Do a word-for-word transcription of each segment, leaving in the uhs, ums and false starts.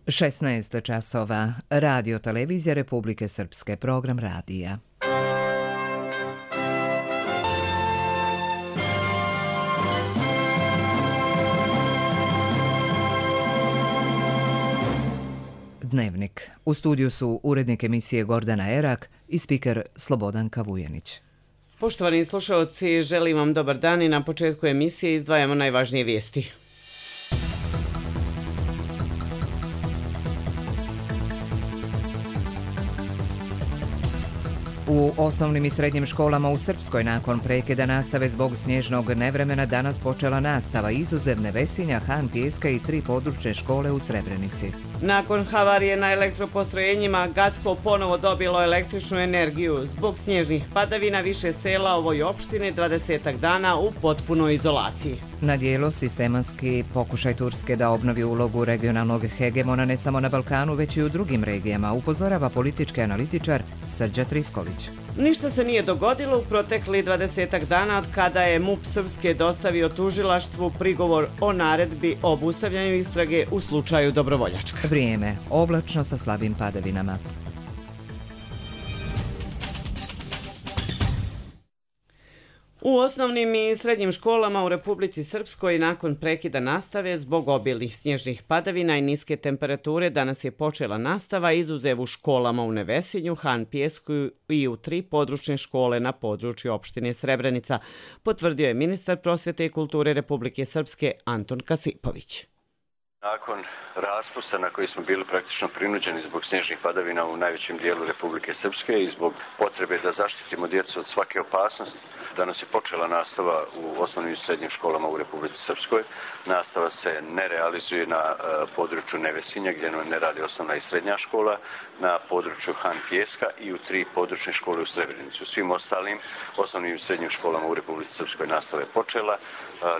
šesnaest časova. Radio Televizija Republike Srpske. Program radija. Dnevnik. U studiju su urednik emisije Gordana Erak i spiker Slobodanka Vujanić. Poštovani slušalci, želim vam dobar dan i na početku emisije izdvajamo najvažnije vijesti. U osnovnim i srednjim školama u Srpskoj nakon prekida nastave zbog snježnog nevremena danas počela nastava izuzev Nevesinja, Han Pijeska i tri područne škole u Srebrenici. Nakon havarije na elektropostrojenjima, Gacko ponovo dobilo električnu energiju. Zbog snježnih padavina više sela ovoj opštini dvadesetak dana u potpunoj izolaciji. Na dijelu sistematski pokušaj Turske da obnovi ulogu regionalnog hegemona ne samo na Balkanu, već i u drugim regijama, upozorava politički analitičar Srđa Trifković. Ništa se nije dogodilo u protekli dvadesetak dana od kada je M U P Srpske dostavio tužilaštvu prigovor o naredbi o obustavljanju istrage u slučaju Dobrovoljačka. Vrijeme. Oblačno sa slabim padavinama. U osnovnim i srednjim školama u Republici Srpskoj nakon prekida nastave zbog obilnih snježnih padavina i niske temperature danas je počela nastava izuzev u školama u Nevesinju, Han Pijesku i u tri područne škole na području opštine Srebrenica, potvrdio je ministar prosvjete i kulture Republike Srpske Anton Kasipović. Nakon raspusta na koji smo bili praktično prinuđeni zbog snježnih padavina u najvećem dijelu Republike Srpske i zbog potrebe da zaštitimo djecu od svake opasnosti, danas je počela nastava u osnovnim i srednjim školama u Republici Srpskoj. Nastava se ne realizuje na području Nevesinja gdje ne radi osnovna i srednja škola, na području Han Pijeska i u tri područne škole u Srebrenici. U svim ostalim osnovnim i srednjim školama u Republici Srpskoj nastava je počela.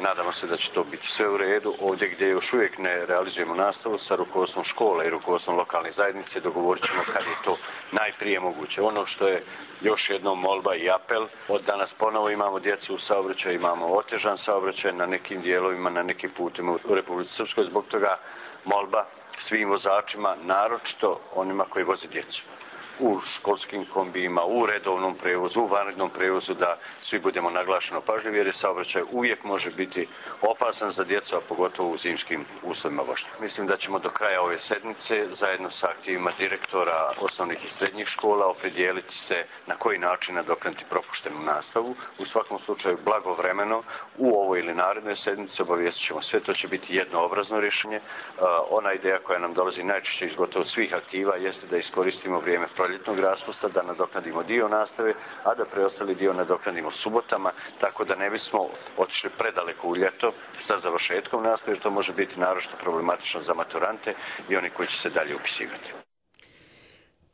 Nadamo se da će to biti sve u redu. Ovdje gdje još uvijek ne realizujemo nastavu sa rukovodstvom škole i rukovodstvom lokalne zajednice dogovorit ćemo kad je to najprije moguće. Ono što je još jednom molba i apel, od danas ponovo imamo djecu u saobraćaju, imamo otežan saobraćaj na nekim dijelovima, na nekim putima u Republici Srpskoj, zbog toga molba svim vozačima, naročito onima koji voze djecu u školskim kombijima, u redovnom prevozu, u vanrednom prevozu, da svi budemo naglašeno pažljivi jer je saobraćaj uvijek može biti opasan za djecu, a pogotovo u zimskim uslovima vožnje. Mislim da ćemo do kraja ove sedmice zajedno sa aktivima direktora osnovnih i srednjih škola opredijeliti se na koji način nadoknaditi propuštenu nastavu. U svakom slučaju blagovremeno u ovoj ili narednoj sedmici obavijestit ćemo sve, to će biti jednoobrazno rješenje. Ona ideja koja nam dolazi najčešće iz gotovo svih aktiva jeste da iskoristimo vrijeme proljetnog raspusta, da nadoknadimo dio nastave, a da preostali dio nadoknadimo subotama, tako da ne bismo otišli predaleko u ljeto sa završetkom nastave, jer to može biti naročito problematično za maturante i oni koji će se dalje upisivati.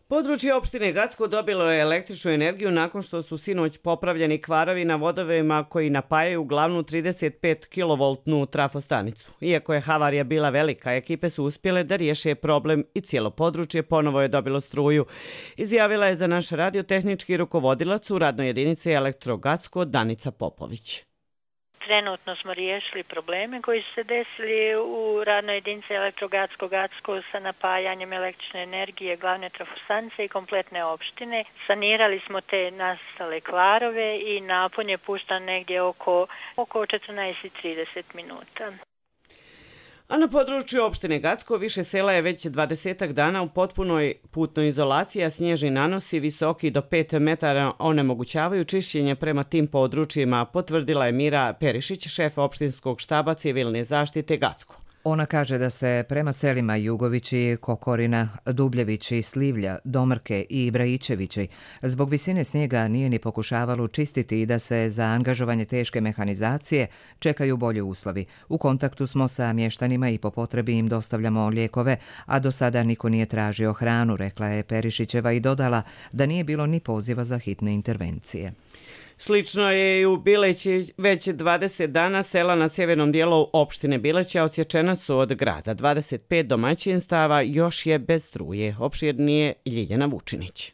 Područje opštine Gacko dobilo je električnu energiju nakon što su sinoć popravljeni kvarovi na vodovima koji napajaju glavnu trideset pet kilovoltnu trafostanicu. Iako je havarija bila velika, ekipe su uspjele da riješe problem i cijelo područje ponovo je dobilo struju. Izjavila je za naš radiotehnički rukovodilac u radnoj jedinici Elektro Gacko Danica Popović. Trenutno smo riješili probleme koji su se desili u radnoj jedinici Elektro Gacko Gacko sa napajanjem električne energije glavne trafostanice i kompletne opštine. Sanirali smo te nastale kvarove i napon je puštan negdje oko, oko četrnaest i trideset minuta. A na području opštine Gacko više sela je već dvadesetak dana u potpunoj putnoj izolaciji, a snježni nanosi visoki do pet metara onemogućavaju čišćenje prema tim područjima, potvrdila je Mira Perišić, šef opštinskog štaba civilne zaštite Gacko. Ona kaže da se prema selima Jugovići, Kokorina, Dubljevići, Slivlja, Domrke i Ibrajićevići zbog visine snijega nije ni pokušavalo čistiti i da se za angažovanje teške mehanizacije čekaju bolji uslovi. U kontaktu smo sa mještanima i po potrebi im dostavljamo lijekove, a do sada niko nije tražio hranu, rekla je Perišićeva i dodala da nije bilo ni poziva za hitne intervencije. Slično je i u Bileći, već dvadeset dana sela na sjevernom dijelu opštine Bileća odsječena su od grada. dvadeset pet domaćinstava još je bez struje, opširnije Ljiljana Vučinić.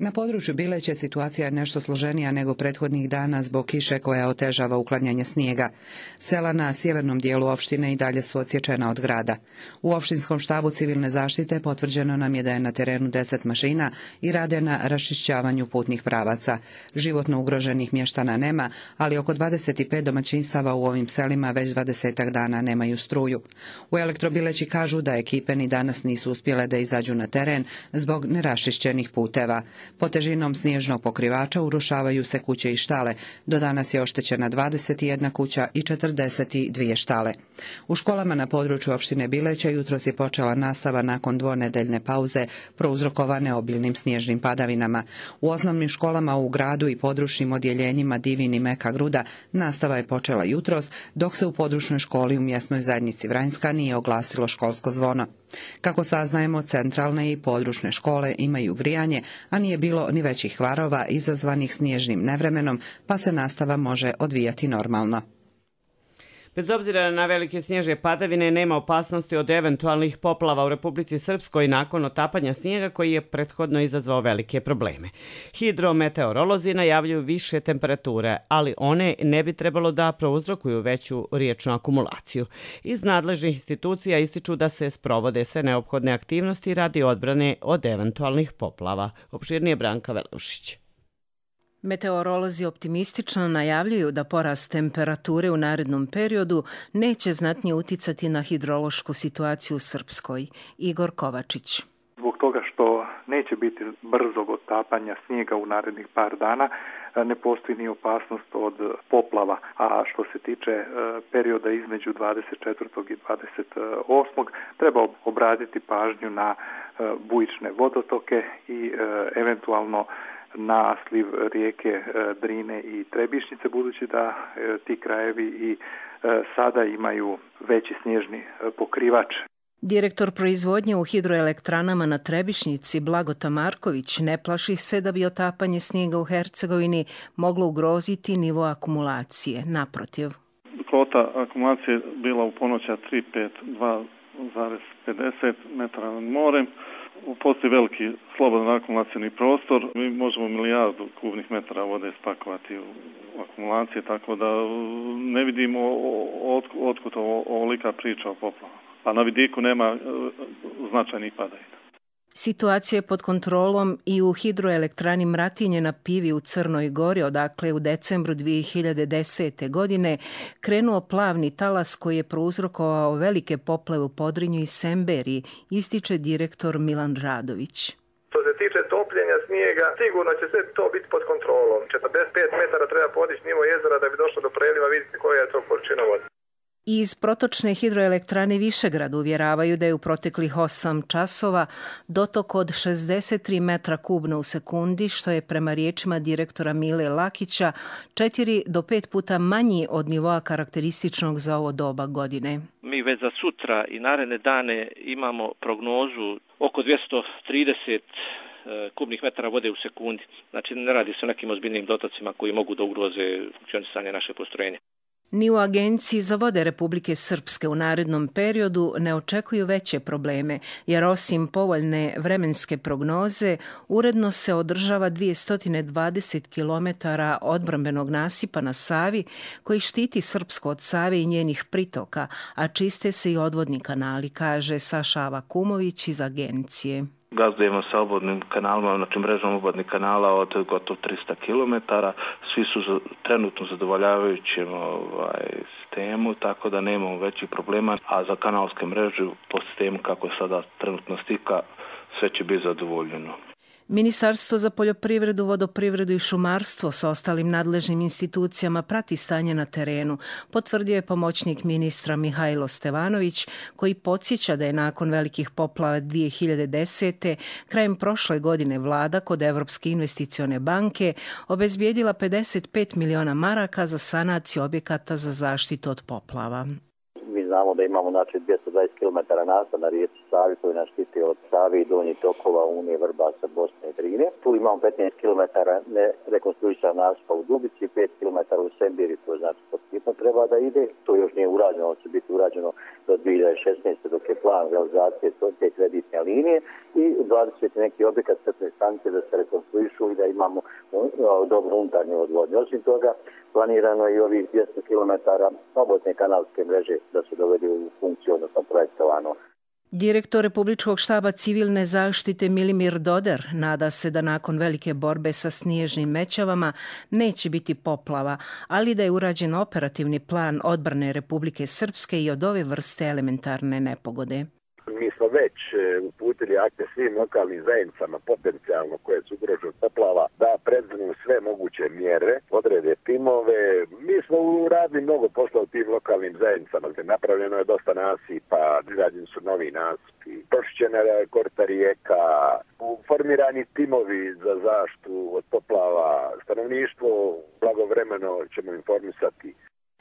Na području Bileće situacija je nešto složenija nego prethodnih dana zbog kiše koja otežava uklanjanje snijega. Sela na sjevernom dijelu opštine i dalje su odsječena od grada. U opštinskom štabu civilne zaštite potvrđeno nam je da je na terenu deset mašina i rade na raščišćavanju putnih pravaca. Životno ugroženih mještana nema, ali oko dvadeset pet domaćinstava u ovim selima već dvadesetak dana nemaju struju. U Elektrobileći kažu da ekipe ni danas nisu uspjele da izađu na teren zbog neraščišćenih puteva. Pod težinom snježnog pokrivača urušavaju se kuće i štale. Do danas je oštećena dvadeset jedna kuća i četrdeset dvije štale. U školama na području opštine Bileće jutros je počela nastava nakon dvonedeljne pauze prouzrokovane obilnim snježnim padavinama. U osnovnim školama u gradu i područnim odjeljenjima Divin i Meka Gruda nastava je počela jutros, dok se u područnoj školi u mjesnoj zajednici Vranjska nije oglasilo školsko zvono. Kako saznajemo, centralne i područne škole imaju grijanje, a nije bilo ni većih kvarova izazvanih snježnim nevremenom, pa se nastava može odvijati normalno. Bez obzira na velike snježne padavine, nema opasnosti od eventualnih poplava u Republici Srpskoj nakon otapanja snijega koji je prethodno izazvao velike probleme. Hidrometeorolozi najavljuju više temperature, ali one ne bi trebalo da prouzrokuju veću riječnu akumulaciju. Iz nadležnih institucija ističu da se sprovode sve neophodne aktivnosti radi odbrane od eventualnih poplava. Opširnije Branka Veleušić. Meteorolozi optimistično najavljuju da porast temperature u narednom periodu neće znatnije uticati na hidrološku situaciju u Srpskoj. Igor Kovačić. Zbog toga što neće biti brzog otapanja snijega u narednih par dana, ne postoji ni opasnost od poplava. A što se tiče perioda između dvadeset četvrtog i dvadeset osmog treba obratiti pažnju na bujične vodotoke i eventualno na sliv rijeke Drine i Trebišnjice, budući da ti krajevi i sada imaju veći snježni pokrivač. Direktor proizvodnje u hidroelektranama na Trebišnjici Blagota Marković ne plaši se da bi otapanje snijega u Hercegovini moglo ugroziti nivo akumulacije. Naprotiv. Kvota akumulacije bila u ponoća tri pet dva zarez pedeset metara nad morem. Postoji veliki slobodan akumulacijni prostor. Mi možemo milijardu kubnih metara vode spakovati u akumulacije, tako da ne vidimo otkud ovolika priča o poplavama. A na vidiku nema značajnih padavina. Situacija je pod kontrolom i u hidroelektrani Mratinje na Pivi u Crnoj Gori, odakle u decembru dvije hiljade desete. godine krenuo plavni talas koji je prouzrokovao velike poplave u Podrinju i Semberiji, ističe direktor Milan Radović. Što se tiče topljenja snijega, sigurno će sve to biti pod kontrolom. četrdeset pet metara treba podići nivo jezera da bi došlo do preliva, vidite koja je to količina vode. Iz protočne hidroelektrane Višegrad uvjeravaju da je u proteklih osam časova dotok od šezdeset tri metra kubno u sekundi, što je prema riječima direktora Mile Lakića četiri do pet puta manji od nivoa karakterističnog za ovo doba godine. Mi već za sutra i naredne dane imamo prognozu oko dvjesto trideset kubnih metara vode u sekundi. Znači ne radi se o nekim ozbiljnim dotocima koji mogu da ugroze funkcionisanje naše postrojenja. Ni u Agenciji za vode Republike Srpske u narednom periodu ne očekuju veće probleme, jer osim povoljne vremenske prognoze, uredno se održava dvjesto dvadeset kilometara odbrambenog nasipa na Savi, koji štiti Srpsko od Save i njenih pritoka, a čiste se i odvodni kanali, kaže Saša Avakumović iz Agencije. Gazdujemo sa obvodnim kanalima, znači mrežom obvodnih kanala od gotovo tristo kilometara. Svi su trenutno zadovoljavajućem ovaj, sistemu, tako da nemamo većih problema. A za kanalske mreže po sistemu kako je sada trenutno stika, sve će biti zadovoljeno. Ministarstvo za poljoprivredu, vodoprivredu i šumarstvo sa ostalim nadležnim institucijama prati stanje na terenu, potvrdio je pomoćnik ministra Mihajlo Stevanović, koji podsjeća da je nakon velikih poplava dvije hiljade desete. krajem prošle godine vlada kod Evropske investicione banke obezbijedila pedeset pet miliona maraka za sanaciju objekata za zaštitu od poplava. Mi znamo da imamo znači dvjesto dvadeset kilometara nasipa na rijeci Savi koji nas štiti od Save i donjih tokova Unije, Vrbasa, Bosne i Drine. Tu imamo petnaest kilometara nerekonstruisan nasipa u Dubici, pet kilometara u Sembiri, to znači pod hitno treba da ide. To još nije urađeno, ovo će biti urađeno do dvije hiljade šesnaeste. dok je plan realizacije te kreditne linije i dvadeset neki objekat crpne stanice da se rekonstruišu i da imamo dobro unutarnje odvodnje. Osim toga, planirano je i ovih dvjesto kilometara obodne kanalske mreže da se dovede u funkciju, odnosno projektovano. Direktor Republičkog štaba civilne zaštite Milimir Doder nada se da nakon velike borbe sa snježnim mećavama neće biti poplava, ali da je urađen operativni plan odbrane Republike Srpske i od ove vrste elementarne nepogode. Mi smo već uputili akte svim lokalnim zajednicama potencijalno koje su ugrožene poplava da predznu sve moguće mjere, odrede timove. Mi smo uradili mnogo posla u tim lokalnim zajednicama. Napravljeno je dosta nasipa, izrađeni su novi nasipi, pročišćena je korita rijeka, formirani timovi za zaštitu od poplava, stanovništvo blagovremeno ćemo informisati.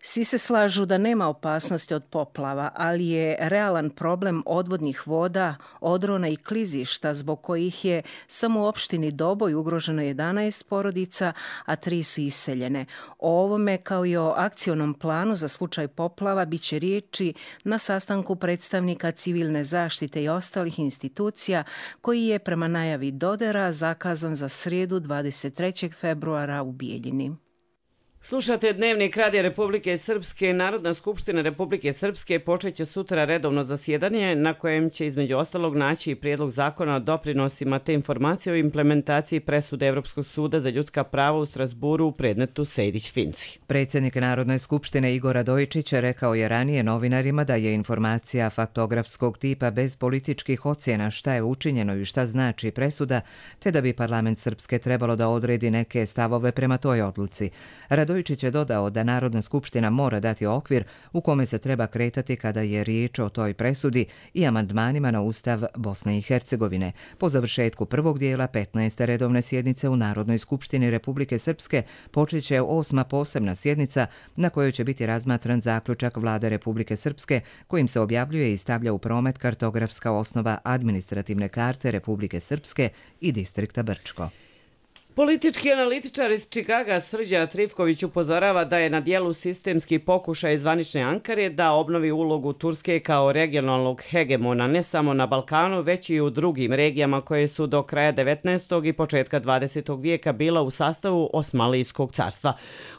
Svi se slažu da nema opasnosti od poplava, ali je realan problem odvodnih voda, odrona i klizišta zbog kojih je samo u opštini Doboj ugroženo jedanaest porodica, a tri su iseljene. O ovome kao i o akcionom planu za slučaj poplava bit će riječi na sastanku predstavnika civilne zaštite i ostalih institucija koji je prema najavi Dodera zakazan za srijedu dvadeset trećeg februara u Bijeljini. Slušate Dnevnik Radija Republike Srpske. Narodna skupština Republike Srpske počeće sutra redovno zasjedanje na kojem će između ostalog naći i prijedlog zakona o doprinosima te informacije o implementaciji presude Evropskog suda za ljudska prava u Strasburu u predmetu Sejdić-Finci. Predsjednik Narodne skupštine Igor Radojičić rekao je ranije novinarima da je informacija faktografskog tipa bez političkih ocjena šta je učinjeno i šta znači presuda, te da bi parlament Srpske trebalo da odredi neke stavove prema toj odluci. Radojičić je dodao da Narodna skupština mora dati okvir u kome se treba kretati kada je riječ o toj presudi i amandmanima na Ustav Bosne i Hercegovine. Po završetku prvog dijela petnaeste redovne sjednice u Narodnoj skupštini Republike Srpske počeće osma posebna sjednica na kojoj će biti razmatran zaključak Vlade Republike Srpske kojim se objavljuje i stavlja u promet kartografska osnova administrativne karte Republike Srpske i distrikta Brčko. Politički analitičar iz Čikaga Srđan Trifković upozorava da je na dijelu sistemski pokušaj zvanične Ankare da obnovi ulogu Turske kao regionalnog hegemona ne samo na Balkanu, već i u drugim regijama koje su do kraja devetnaestog i početka dvadesetog vijeka bila u sastavu Osmanlijskog carstva.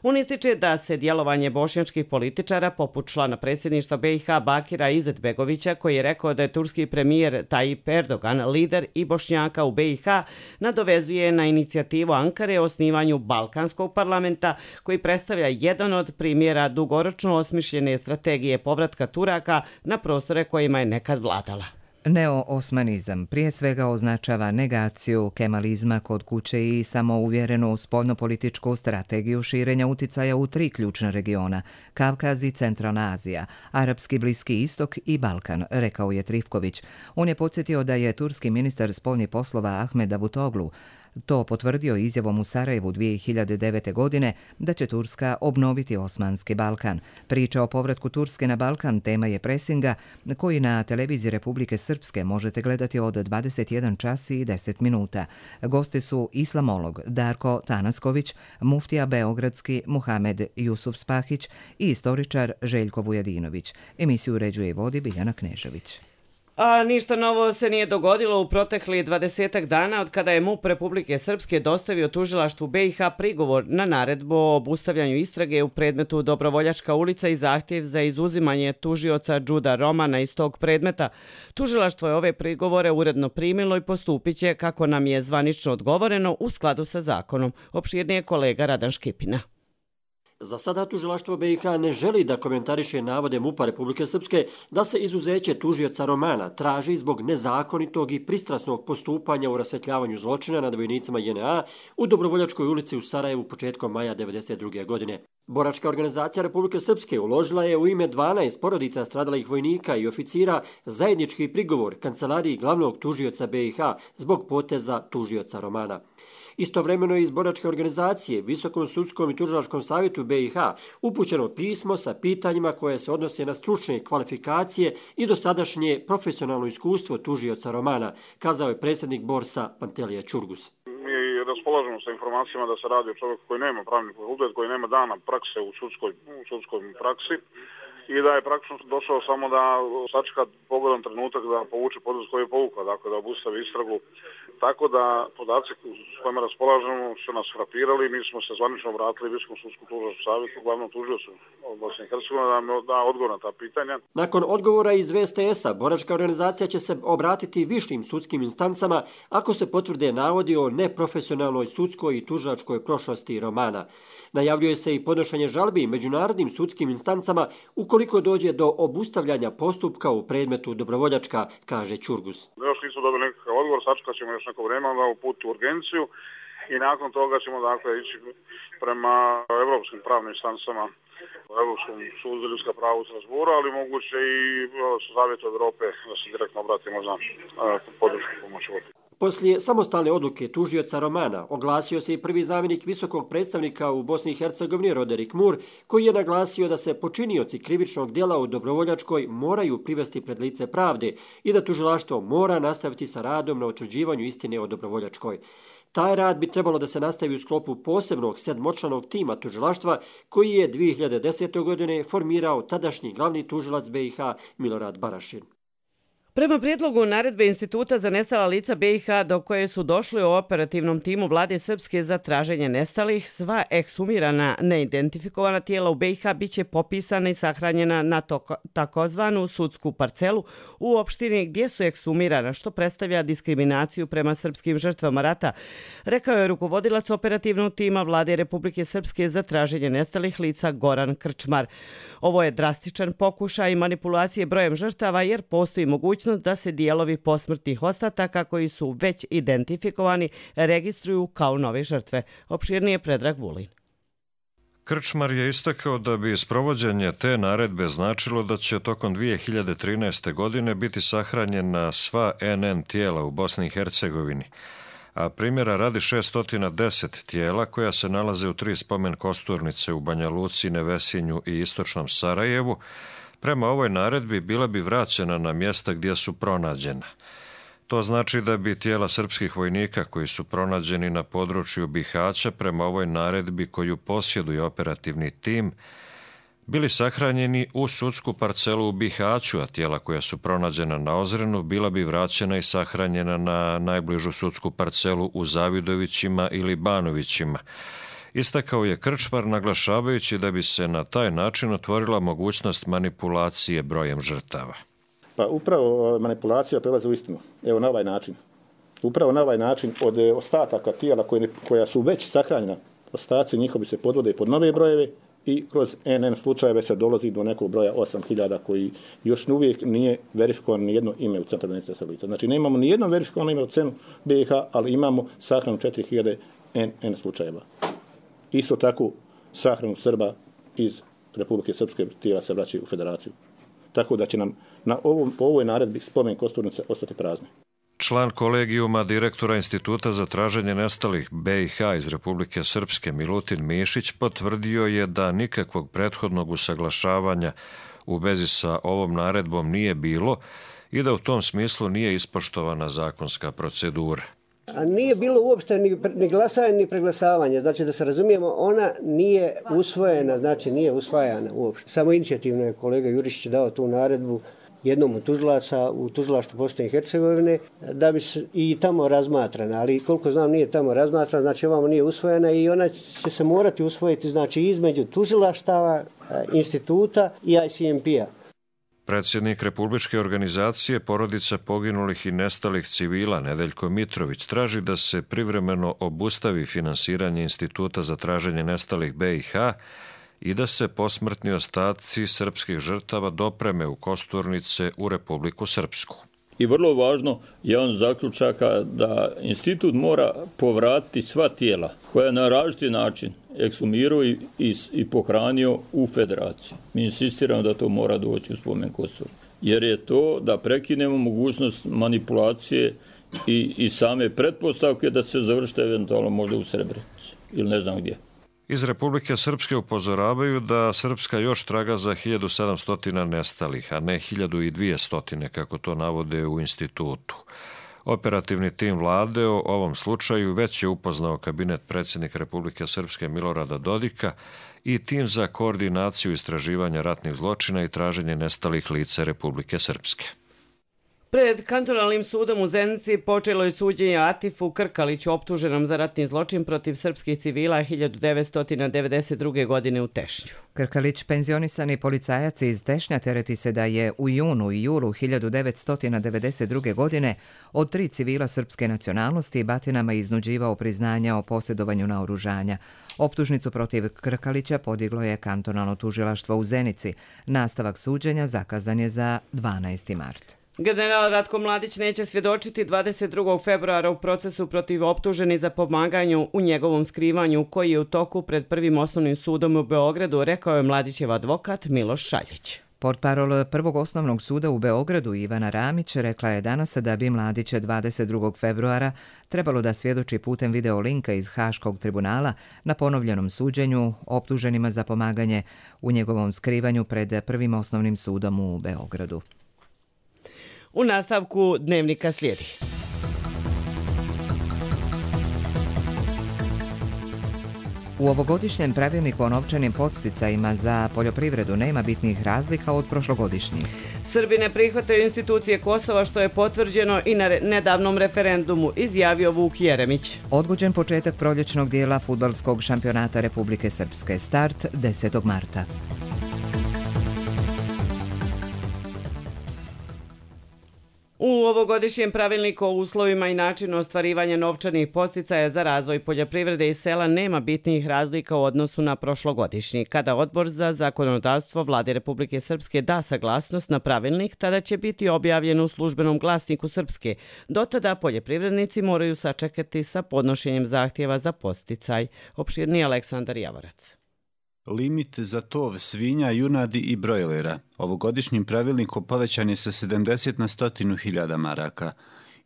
On ističe da se djelovanje bošnjačkih političara, poput člana predsjedništva B i H Bakira Izetbegovića, koji je rekao da je turski premijer Tayyip Erdogan lider i Bošnjaka u B i H, nadovezuje na inicijativu Ankare o osnivanju Balkanskog parlamenta koji predstavlja jedan od primjera dugoročno osmišljene strategije povratka Turaka na prostore kojima je nekad vladala. Neo-osmanizam prije svega označava negaciju kemalizma kod kuće i samouvjerenu spoljnopolitičku strategiju širenja uticaja u tri ključna regiona – Kavkaz i Centralna Azija, Arapski Bliski istok i Balkan, rekao je Trifković. On je podsjetio da je turski ministar spoljnih poslova Ahmed Davutoglu to potvrdio izjavom u Sarajevu dvije hiljade devete. godine da će Turska obnoviti Osmanski Balkan. Priča o povratku Turske na Balkan tema je presinga koji na televiziji Republike Srpske možete gledati od dvadeset jedan čas i deset minuta. Gosti su islamolog Darko Tanasković, muftija beogradski Muhamed Jusuf Spahić i istoričar Željko Vujadinović. Emisiju uređuje i vodi Biljana Knežević. A ništa novo se nije dogodilo u protekli dvadesetak dana od kada je MUP Republike Srpske dostavio tužilaštvu B i H prigovor na naredbu o obustavljanju istrage u predmetu Dobrovoljačka ulica i zahtjev za izuzimanje tužioca Džuda Romana iz tog predmeta. Tužilaštvo je ove prigovore uredno primilo i postupit će, kako nam je zvanično odgovoreno, u skladu sa zakonom. Opširnije kolega Radan Škipina. Za sada tužilaštvo B i H ne želi da komentariše navode MUP-a Republike Srpske da se izuzeće tužioca Romana traži zbog nezakonitog i pristrasnog postupanja u rasvetljavanju zločina nad vojnicima J N A u Dobrovoljačkoj ulici u Sarajevu početkom maja devedeset druge. godine. Boračka organizacija Republike Srpske uložila je u ime dvanaest porodica stradalih vojnika i oficira zajednički prigovor kancelariji glavnog tužioca B i H zbog poteza tužioca Romana. Istovremeno je iz boračke organizacije Visokom sudskom i tužilačkom savjetu B i H upućeno pismo sa pitanjima koje se odnose na stručne kvalifikacije i dosadašnje profesionalno iskustvo tužioca romana, kazao je predsjednik Borsa Pantelija Čurgus. Mi raspolažemo sa informacijama da se radi o čovjeku koji nema pravni fakultet, koji nema dana prakse u sudskoj, u sudskoj praksi i da je praktično došao samo da sačeka pogodan trenutak da povuče potez koji je povukao, dakle da obustavi istragu. Tako da podaci s kojima raspolažemo su nas frapirali, mi smo se zvanično obratili Visokom sudskom tužilačkom savjetu, glavnom tužiocu Bosne i Hercegovine da nam da odgovor na ta pitanja. Nakon odgovora iz V S T S-a, boračka organizacija će se obratiti višim sudskim instancama ako se potvrde navodi o neprofesionalnoj sudskoj i tužilačkoj prošlosti romana. Najavljuje se i podnošenje žalbi međunarodnim sudskim instancama ukoliko dođe do obustavljanja postupka u predmetu Dobrovoljačka, kaže Čurgus. Još nismo dobili nekakav odgovor, sačekat ćemo još neko vremena da uputi urgenciju i nakon toga ćemo dakle ići prema evropskim pravnim instancama, Evropskom sudu za ljudska prava u Strasbourgu, ali moguće i Savjetu Evrope da se direktno obratimo za podršku pomoći. Poslije samostalne odluke tužioca romana oglasio se i prvi zamjenik visokog predstavnika u Bosni i Hercegovini Roderick Moore, koji je naglasio da se počinioci krivičnog djela u Dobrovoljačkoj moraju privesti pred lice pravde i da tužilaštvo mora nastaviti sa radom na utvrđivanju istine o Dobrovoljačkoj. Taj rad bi trebalo da se nastavi u sklopu posebnog sedmočlanog tima tužilaštva koji je dvije hiljade desete. godine formirao tadašnji glavni tužilac B i H Milorad Barašin. Prema prijedlogu naredbe Instituta za nestala lica B i H do koje su došli u operativnom timu Vlade Srpske za traženje nestalih, sva eksumirana neidentifikovana tijela u B i H biće popisana i sahranjena na takozvanu sudsku parcelu u opštini gdje su eksumirana, što predstavlja diskriminaciju prema srpskim žrtvama rata, rekao je rukovodilac operativnog tima Vlade Republike Srpske za traženje nestalih lica Goran Krčmar. Ovo je drastičan pokušaj manipulacije brojem žrtava jer postoji mogućnost da se dijelovi posmrtnih ostataka koji su već identifikovani registruju kao nove žrtve. Opširnije Predrag Vulin. Krčmar je istakao da bi sprovođenje te naredbe značilo da će tokom dvije hiljade trinaeste. godine biti sahranjena sva N N tijela u Bosni i Hercegovini, a primjera radi šessto deset tijela koja se nalaze u tri spomen kosturnice u Banja Luci, Nevesinju i istočnom Sarajevu, prema ovoj naredbi bila bi vraćena na mjesta gdje su pronađena. To znači da bi tijela srpskih vojnika koji su pronađeni na području Bihaća prema ovoj naredbi koju posjeduje operativni tim bili sahranjeni u sudsku parcelu u Bihaću, a tijela koja su pronađena na Ozrenu bila bi vraćena i sahranjena na najbližu sudsku parcelu u Zavidovićima ili Banovićima. Istakao je Krčmar naglašavajući da bi se na taj način otvorila mogućnost manipulacije brojem žrtava. Pa upravo manipulacija prelazi u istinu. Evo na ovaj način. Upravo na ovaj način od ostataka tijela koje, koja su već sahranjena, ostaci njihovi se podvode pod nove brojeve i kroz N N slučajeve se dolazi do nekog broja osam hiljada koji još uvijek nije verifikovan ni jedno ime u centru evidencije lica. Znači nemamo ni jedno verifikovano ime u cenu B i H, ali imamo sahranu četiri hiljade N N slučajeva. Isto tako sahranu Srba iz Republike Srpske tijela se vraćaju u federaciju. Tako da će nam na ovom, po ovoj naredbi spomen kosturnice ostati prazne. Član kolegijuma direktora Instituta za traženje nestalih B i H iz Republike Srpske Milutin Mišić potvrdio je da nikakvog prethodnog usaglašavanja u vezi sa ovom naredbom nije bilo i da u tom smislu nije ispoštovana zakonska procedura. A nije bilo uopšte ni, ni glasanje ni preglasavanje, znači da se razumijemo, ona nije usvojena, znači nije usvajana uopšte. Samo inicijativno je kolega Jurišić dao tu naredbu jednom od tužilaca u tužilaštvu Bosne i Hercegovine da bi se i tamo razmatrana, ali koliko znam nije tamo razmatrana, znači ovamo nije usvojena i ona će se morati usvojiti znači između tužilaštava, instituta i I C M P-a. Predsjednik Republičke organizacije porodica poginulih i nestalih civila Nedeljko Mitrović traži da se privremeno obustavi finansiranje Instituta za traženje nestalih B i H i da se posmrtni ostaci srpskih žrtava dopreme u kosturnice u Republiku Srpsku. I vrlo važno je on zaključaka da institut mora povratiti sva tijela koja na različiti način ekshumirao i, i, i pohranio u federaciji. Mi insistiramo da to mora doći u spomen kostur. Jer je to da prekinemo mogućnost manipulacije i, i same pretpostavke da se završite eventualno možda u Srebrenici ili ne znam gdje. Iz Republike Srpske upozoravaju da Srpska još traga za hiljadu sedamsto nestalih, a ne hiljadu dvjesto kako to navode u institutu. Operativni tim vlade o ovom slučaju već je upoznao kabinet predsjednika Republike Srpske Milorada Dodika i tim za koordinaciju istraživanja ratnih zločina i traženje nestalih lica Republike Srpske. Pred kantonalnim sudom u Zenici počelo je suđenje Atifu Krkaliću, optuženom za ratni zločin protiv srpskih civila hiljadu devetsto devedeset druge. godine u Tešnju. Krkalić, penzionisani policajac iz Tešnja, tereti se da je u junu i julu hiljadu devetsto devedeset druge. godine od tri civila srpske nacionalnosti batinama iznuđivao priznanja o posjedovanju naoružanja. Optužnicu protiv Krkalića podiglo je kantonalno tužilaštvo u Zenici. Nastavak suđenja zakazan je za dvanaesti mart. General Ratko Mladić neće svjedočiti dvadeset drugog februara u procesu protiv optuženi za pomaganju u njegovom skrivanju koji je u toku pred prvim osnovnim sudom u Beogradu, rekao je Mladićev advokat Miloš Šaljić. Portparol Prvog osnovnog suda u Beogradu Ivana Ramić rekla je danas da bi Mladić dvadeset drugog februara trebalo da svjedoči putem videolinka iz Haškog tribunala na ponovljenom suđenju optuženima za pomaganje u njegovom skrivanju pred prvim osnovnim sudom u Beogradu. U nastavku dnevnika slijedi. U ovogodišnjem pravilniku o novčanim podsticajima za poljoprivredu nema bitnih razlika od prošlogodišnjih. Srbi ne prihvataju institucije Kosova, što je potvrđeno i na nedavnom referendumu, izjavio Vuk Jeremić. Odgođen početak proljećnog dijela fudbalskog šampionata Republike Srpske. Start desetog marta. U ovogodišnjem pravilniku o uslovima i načinu ostvarivanja novčanih podsticaja za razvoj poljoprivrede i sela nema bitnih razlika u odnosu na prošlogodišnji. Kada Odbor za zakonodavstvo Vlade Republike Srpske da saglasnost na pravilnik, tada će biti objavljen u službenom glasniku Srpske. Do tada poljoprivrednici moraju sačekati sa podnošenjem zahtjeva za podsticaj. Opširni Aleksandar Javorac. Limit za tov svinja, junadi i brojlera ovogodišnjim pravilnikom povećan je sa sedamdeset na sto hiljada maraka.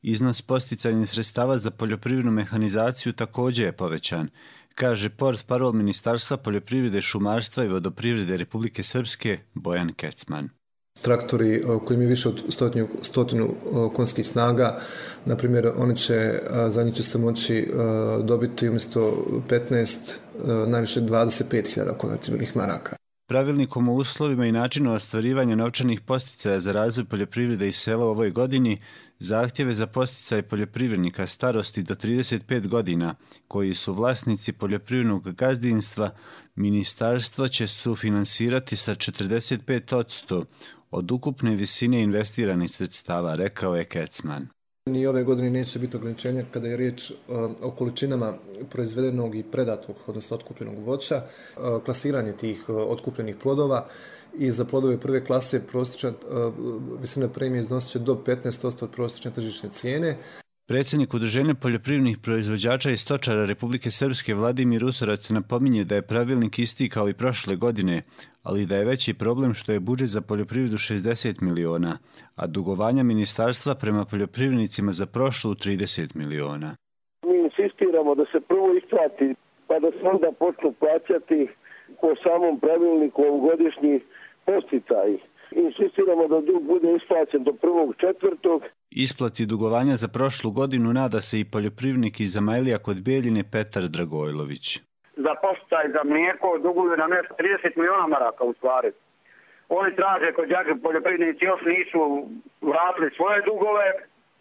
Iznos podsticajnih sredstava za poljoprivrednu mehanizaciju također je povećan, kaže portparol Ministarstva poljoprivrede, šumarstva i vodoprivrede Republike Srpske Bojan Kecman. Traktori koji imaju više od stotinu, stotinu konjskih snaga, na primjer, oni će, za njih će se moći dobiti umjesto petnaest, najviše dvadeset pet hiljada konvertibilnih maraka. Pravilnikom o uslovima i načinu ostvarivanja novčanih podsticaja za razvoj poljoprivrede i sela u ovoj godini, zahtjeve za podsticaj poljoprivrednika starosti do trideset pet godina, koji su vlasnici poljoprivrednog gazdinstva, ministarstvo će sufinansirati sa četrdeset pet posto od ukupne visine investiranih sredstava, rekao je Kecman. Ni ove godine neće biti ograničenja kada je riječ o količinama proizvedenog i predatog, odnosno otkupljenog voća, klasiranje tih otkupljenih plodova i za plodove prve klase prosječna visina premije iznosit će do petnaest posto od prosječne tržišne cijene. Predsjednik Udruženja poljoprivrednih proizvođača i stočara Republike Srpske Vladimir Usorac napominje da je pravilnik isti kao i prošle godine, ali da je veći problem što je budžet za poljoprivredu šezdeset miliona, a dugovanja ministarstva prema poljoprivrednicima za prošlu trideset miliona. Mi insistiramo da se prvo isplati, pa da se onda počnu plaćati po samom pravilniku ovogodišnji podsticaji. Insistiramo da dug bude isplaćen do prvog četvrtog. Isplati dugovanja za prošlu godinu nada se i poljoprivrednik iz Zamajlija kod Beljine Petar Dragojlović. Za podsticaj za mlijeko duguju nam nešto trideset miliona maraka u stvari. Oni traže kod đađe poljoprivrednici još nisu vratili svoje dugove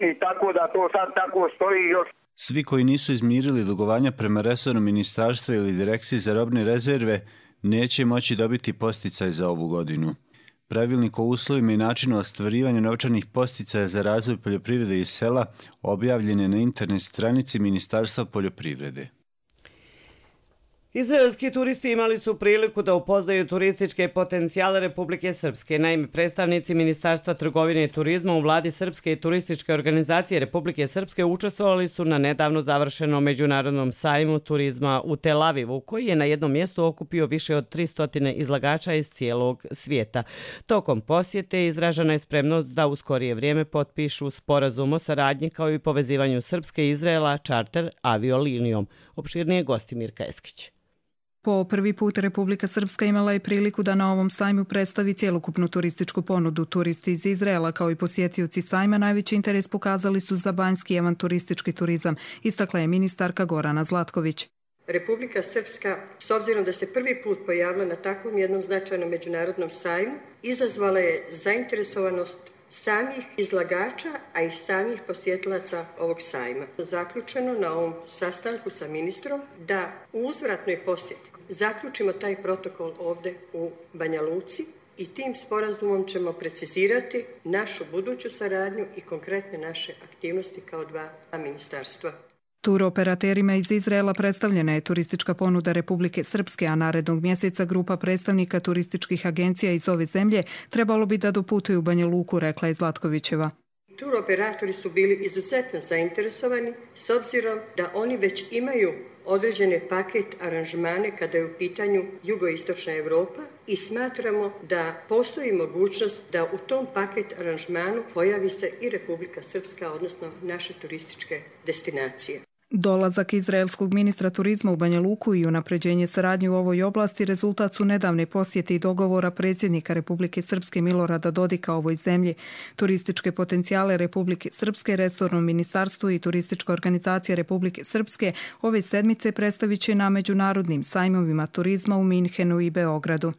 i tako da to sad tako stoji još. Svi koji nisu izmirili dugovanja prema resornom ministarstvu ili direkciji za robne rezerve neće moći dobiti podsticaj za ovu godinu. Pravilnik o uslovima i načinu ostvarivanja novčanih podsticaja za razvoj poljoprivrede i sela objavljen je na internet stranici Ministarstva poljoprivrede. Izraelski turisti imali su priliku da upoznaju turističke potencijale Republike Srpske. Naime, predstavnici Ministarstva trgovine i turizma u vladi Srpske i turističke organizacije Republike Srpske učestvovali su na nedavno završenom međunarodnom sajmu turizma u Tel Avivu, koji je na jednom mjestu okupio više od tristo izlagača iz cijelog svijeta. Tokom posjete izražena je spremnost da u skorije vrijeme potpišu sporazum o saradnji kao i povezivanju Srpske i Izraela čarter aviolinijom. Opširnije gosti Mirka Eskić. Po prvi put Republika Srpska imala je priliku da na ovom sajmu predstavi cjelokupnu turističku ponudu. Turisti iz Izraela kao i posjetioci sajma najveći interes pokazali su za banjski avanturistički turizam, istakla je ministarka Gorana Zlatković. Republika Srpska, s obzirom da se prvi put pojavila na takvom jednom značajnom međunarodnom sajmu, izazvala je zainteresovanost samih izlagača, a i samih posjetilaca ovog sajma. Zaključeno na ovom sastanku sa ministrom da u uzvratnoj posjeti zaključimo taj protokol ovdje u Banja Luci i tim sporazumom ćemo precizirati našu buduću saradnju i konkretne naše aktivnosti kao dva ministarstva. Turoperaterima iz Izraela predstavljena je turistička ponuda Republike Srpske, a narednog mjeseca grupa predstavnika turističkih agencija iz ove zemlje trebalo bi da doputuju u Banja Luku, rekla je Zlatkovićeva. Turoperatori su bili izuzetno zainteresovani s obzirom da oni već imaju određene paket aranžmane kada je u pitanju jugoistočna Europa i smatramo da postoji mogućnost da u tom paket aranžmanu pojavi se i Republika Srpska, odnosno naše turističke destinacije. Dolazak izraelskog ministra turizma u Banja Luku i unapređenje saradnje u ovoj oblasti rezultat su nedavne posjete i dogovora predsjednika Republike Srpske Milorada Dodika ovoj zemlji. Turističke potencijale Republike Srpske, resorno ministarstvo i turistička organizacija Republike Srpske ove sedmice predstavit će na međunarodnim sajmovima turizma u Minhenu i Beogradu.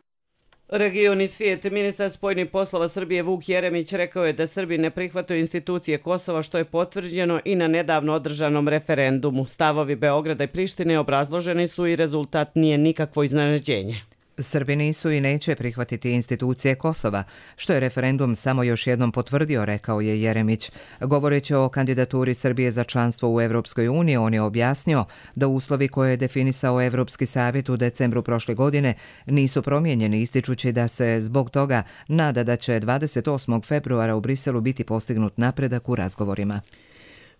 Region i svijet. Ministar spoljnih poslova Srbije Vuk Jeremić rekao je da Srbi ne prihvataju institucije Kosova, što je potvrđeno i na nedavno održanom referendumu. Stavovi Beograda i Prištine obrazloženi su i rezultat nije nikakvo iznenađenje. Srbi nisu i neće prihvatiti institucije Kosova, što je referendum samo još jednom potvrdio, rekao je Jeremić. Govoreći o kandidaturi Srbije za članstvo u Evropskoj uniji, on je objasnio da uslovi koje je definisao Evropski savjet u decembru prošle godine nisu promijenjeni, ističući da se zbog toga nada da će dvadeset osmog februara u Briselu biti postignut napredak u razgovorima.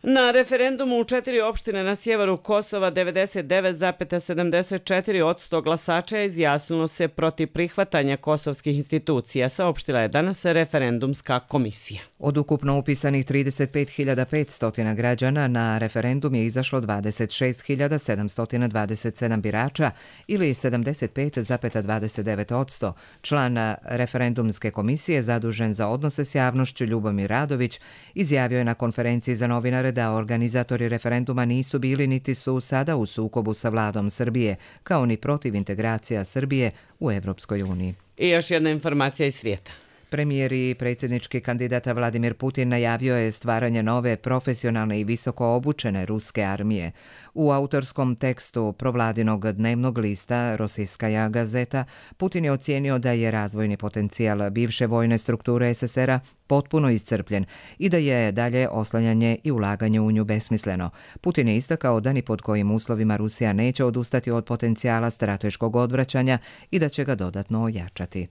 Na referendumu u četiri opštine na sjeveru Kosova devedeset devet zarez sedamdeset četiri posto glasača izjasnilo se protiv prihvatanja kosovskih institucija, saopštila je danas referendumska komisija. Od ukupno upisanih trideset pet hiljada petsto građana na referendum je izašlo dvadeset šest hiljada sedamsto dvadeset sedam birača ili sedamdeset pet zarez dvadeset devet posto. Član referendumske komisije zadužen za odnose s javnošću Ljubomir Radović izjavio je na konferenciji za novinare da organizatori referenduma nisu bili niti su sada u sukobu sa vladom Srbije, kao ni protiv integracija Srbije u Evropskoj uniji. I još jedna informacija iz svijeta. Premijer i predsjednički kandidat Vladimir Putin najavio je stvaranje nove profesionalne i visoko obučene ruske armije. U autorskom tekstu provladinog dnevnog lista Rosijskaja gazeta, Putin je ocijenio da je razvojni potencijal bivše vojne strukture es es era potpuno iscrpljen i da je dalje oslanjanje i ulaganje u nju besmisleno. Putin je istakao da ni pod kojim uslovima Rusija neće odustati od potencijala strateškog odvraćanja i da će ga dodatno ojačati.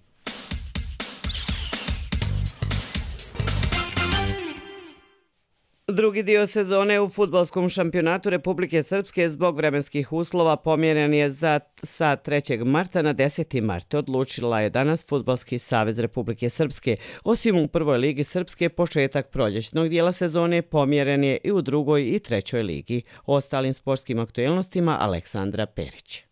Drugi dio sezone u fudbalskom šampionatu Republike Srpske zbog vremenskih uslova pomjeren je za, sa trećeg marta na deseti mart. Odlučila je danas Fudbalski savez Republike Srpske. Osim u prvoj ligi Srpske, početak proljećnog dijela sezone pomjeren je i u drugoj i trećoj ligi. O ostalim sportskim aktuelnostima Aleksandra Perić.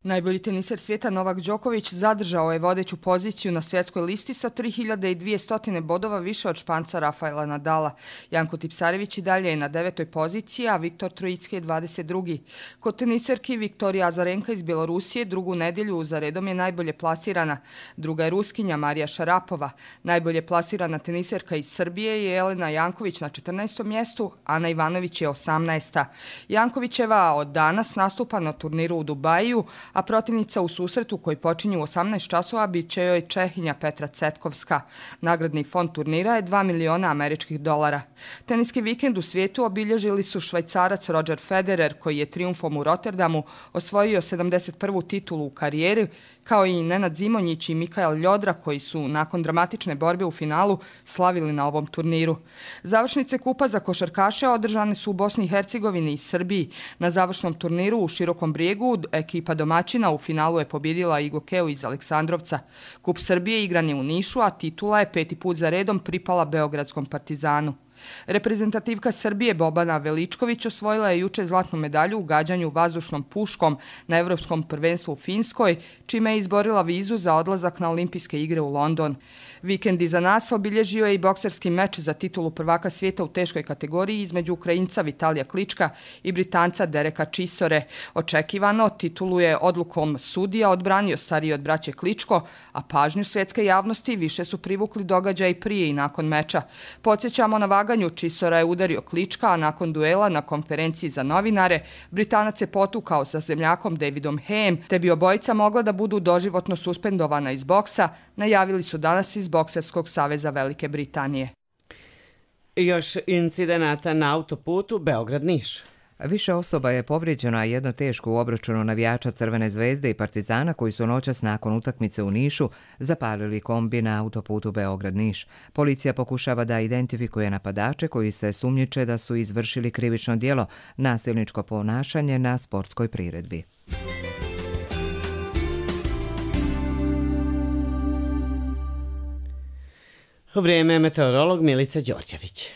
Najbolji teniser svijeta Novak Đoković zadržao je vodeću poziciju na svjetskoj listi sa tri hiljade dvjesto bodova više od Španca Rafaela Nadala. Janko Tipsarević i dalje je na devetoj poziciji, a Viktor Trojicki je dvadeset drugi. Kod teniserki Viktorija Azarenka iz Bjelorusije drugu nedjelju za redom je najbolje plasirana. Druga je Ruskinja Marija Šarapova. Najbolje plasirana teniserka iz Srbije je Elena Janković na četrnaestom mjestu, Ana Ivanović je osamnaesta. Jankovićeva od danas nastupa na turniru u Dubaju, a protivnica u susretu koji počinju u osamnaest časova bit će joj Čehinja Petra Cetkovska. Nagradni fond turnira je dva miliona američkih dolara. Teniski vikend u svijetu obilježili su Švajcarac Roger Federer, koji je trijumfom u Rotterdamu osvojio sedamdeset prvu titulu u karijeri, kao i Nenad Zimonjić i Mikael Ljodra, koji su nakon dramatične borbe u finalu slavili na ovom turniru. Završnice kupa za košarkaše održane su u Bosni i Hercegovini i Srbiji. Na završnom turniru u Širokom Brijegu ekipa domaćina u finalu je pobjedila Igokeu iz Aleksandrovca. Kup Srbije igran je u Nišu, a titula je peti put za redom pripala Beogradskom Partizanu. Reprezentativka Srbije Bobana Veličković osvojila je juče zlatnu medalju u gađanju vazdušnom puškom na Evropskom prvenstvu u Finskoj, čime je izborila vizu za odlazak na Olimpijske igre u London. Vikend iza nas obilježio je i bokserski meč za titulu prvaka svijeta u teškoj kategoriji između Ukrajinca Vitalija Klička i Britanca Dereka Chisore. Očekivano, titulu je odlukom sudija odbranio stariji od braće Kličko, a pažnju svjetske javnosti više su privukli događaji prije i nakon meča. Podsjećamo, na vaganju Chisora je udario Klička, a nakon duela na konferenciji za novinare Britanac je potukao sa zemljakom Davidom Hayem, te bi obojica mogla da budu doživotno suspendovana iz boksa, najavili su danas iz Bokserskog saveza Velike Britanije. Još incidenata na autoputu Beograd-Niš. Više osoba je povrijeđeno, a jedno teško u obračunu navijača Crvene zvezde i Partizana koji su noćas nakon utakmice u Nišu zapalili kombi na autoputu Beograd-Niš. Policija pokušava da identifikuje napadače koji se sumnjiče da su izvršili krivično djelo, nasilničko ponašanje na sportskoj priredbi. Vrijeme je meteorolog Milica Đorđević.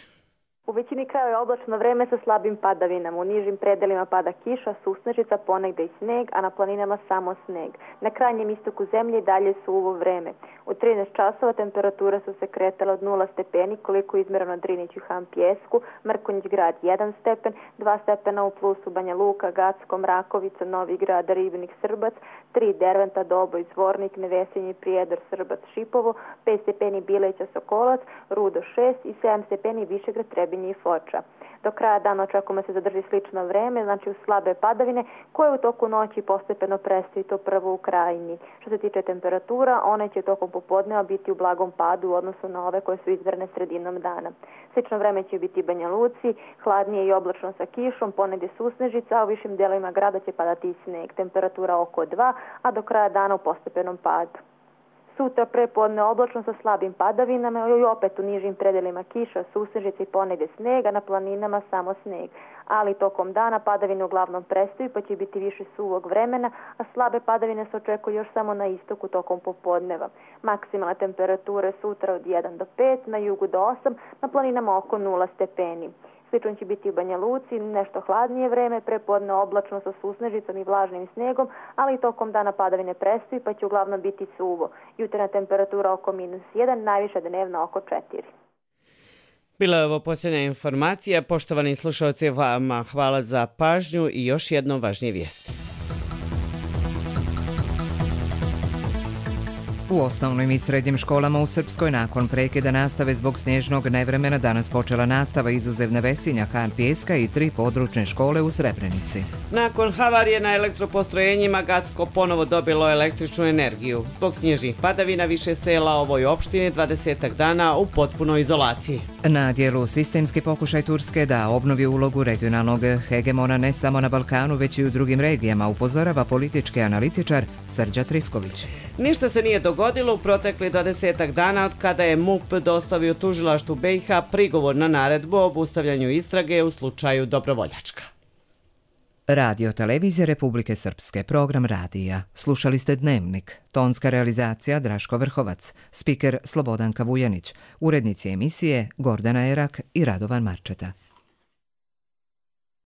U većini krajeva je oblačno vreme sa slabim padavinama. U nižim predelima pada kiša, susnežica, ponegde i sneg, a na planinama samo sneg. Na krajnjem istoku zemlje dalje suvo vreme. U trinaest časova temperature su se kretale od nula stepeni, koliko je izmereno na Driniću, Han, Pjesku, Mrkonjić grad jedan stepen, dva stepena u plusu Banja Luka, Gacko, Mrakovica, Novi grad, Ribnik, Srbac, tri Derventa, Doboj, Zvornik, Nevesinji, Prijedor, Srbac, Šipovo, pet stepeni Bileća, Sokolac, Rudo šest i sedam stepeni Višegrad, Trebinje i Foča. Do kraja dana očekujemo se zadrži slično vreme, znači uz slabe padavine koje u toku noći postepeno prestaju, to prvo u Krajini. Što se tiče temperatura, one će tokom popodneva biti u blagom padu u odnosu na ove koje su izmjerene sredinom dana. Slično vreme će biti Banja Luci, hladnije i oblačno sa kišom, ponegdje susnežica, a u višim dijelovima grada će padati i sneg. Temperatura oko dva, a do kraja dana u postepenom padu. Sutra prepodne oblačno sa slabim padavinama i opet u nižim predelima kiša, susnežice i ponegdje snega, na planinama samo sneg. Ali tokom dana padavine uglavnom prestaju pa će biti više suvog vremena, a slabe padavine se očekuju još samo na istoku tokom popodneva. Maksimalne temperature sutra od jedan do pet, na jugu do osam, na planinama oko nula stepeni. Slično će biti u Banja Luci, nešto hladnije vreme, prepodne oblačno sa susnežicom i vlažnim snegom, ali i tokom dana padavine prestaju pa će uglavnom biti suvo. Jutarnja temperatura oko minus jedan, najviša dnevna oko četiri. Bila je ovo posljednja informacija. Poštovani slušalci, vama hvala za pažnju i još jedno važnije vijesti. U osnovnim i srednjim školama u Srpskoj nakon prekida nastave zbog snježnog nevremena danas počela nastava izuzev Nevesinja, Han, Pjeska i tri područne škole u Srebrenici. Nakon havarije na elektropostrojenjima Gacko ponovo dobilo električnu energiju. Zbog snježnih padavina više sela ovoj opštini dvadesetak dana u potpunoj izolaciji. Na dijelu sistemski pokušaj Turske da obnovi ulogu regionalnog hegemona ne samo na Balkanu već i u drugim regijama, upozorava politički analitičar Srđa Trifković. Ništa se nije dogodilo u protekli dvadesetak dana od kada je M U P dostavio tužilaštvu B i H prigovor na naredbu o obustavljanju istrage u slučaju Dobrovoljačka. Radio Televizije Republike Srpske, program radija. Slušali ste Dnevnik. Tonska realizacija Draško Vrhovac. Spiker Slobodanka Vujanić. Urednici emisije Gordana Erak i Radovan Marčeta.